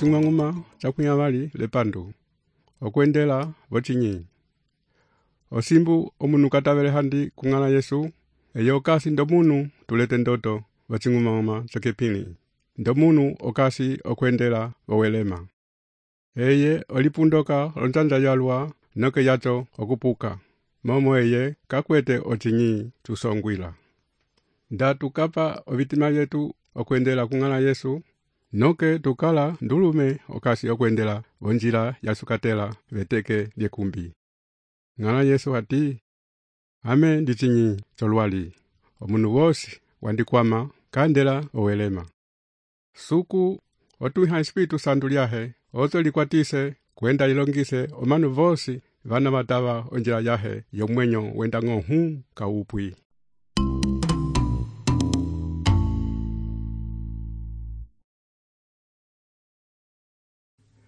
ocing'uma cakunyavali lepandu, okwendela vocinyi. Osimbu omunu katavele handi kung'ala Yesu, eyo okasi ndomunu tulete ndoto vocing'uma cakepili. Ndomunu okasi okwendela vowelema. Eye olipundoka onjanja yalwa noke yacho okupuka. Momo eye kakwete ocinyi tusongwila. Nda tukapa ovitima yetu okwendela kung'ala Yesu, noke tukala ndulume okasi okwendela vonjila yasukatela veteke vyekumbi. Ng'ala Yesu hati, ame ndicinyi cholwali, omunu wosi wandikwama kandela owelema. Suku otuha Espiritu Santu lyahe, ozo likwatise kwenda ilongise omanu vosi vana matava onjila yahe yomwenyo wenda ng'ohu kaupwi.